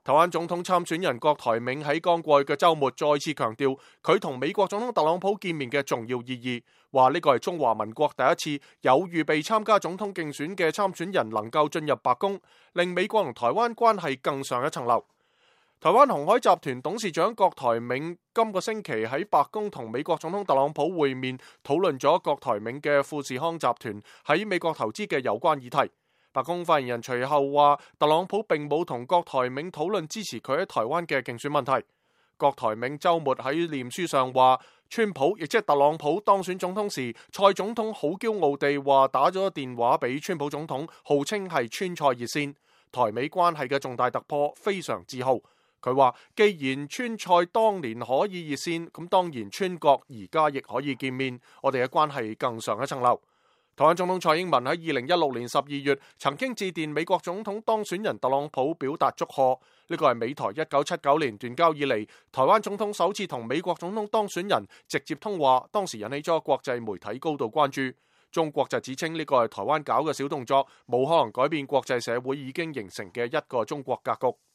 台灣總統參選人郭台銘喺剛過去嘅週末再次強調佢同美國總統特朗普見面嘅重要意義，話呢個係中華民國第一次有預備參加總統競選嘅參選人能夠進入白宮，令美國同台灣關係更上一層樓。台灣鴻海集團董事長郭台銘今個星期喺白宮同美國總統特朗普會面，討論咗郭台銘嘅富士康集團喺美國投資嘅有關議題。白宮發言人隨後話，特朗普並冇同郭台銘討論支持佢喺台灣嘅競選問題。郭台銘週末喺臉書上話，川普亦即係特朗普當選總統時，蔡總統好驕傲地話打咗電話俾川普總統，號稱係川蔡熱線，台美關係嘅重大突破，非常自豪。佢話，既然川蔡當年可以熱線，咁當然川國而家亦可以見面，我哋嘅關係更上一層樓。台灣總統蔡英文喺2016年12月曾經致電美國總統當選人特朗普表達祝賀，呢個係美台1979年斷交以嚟，台灣總統首次同美國總統當選人直接通話，當時引起咗國際媒體高度關注。中國就指稱呢個係台灣搞嘅小動作，冇可能改變國際社會已經形成嘅一個中國格局。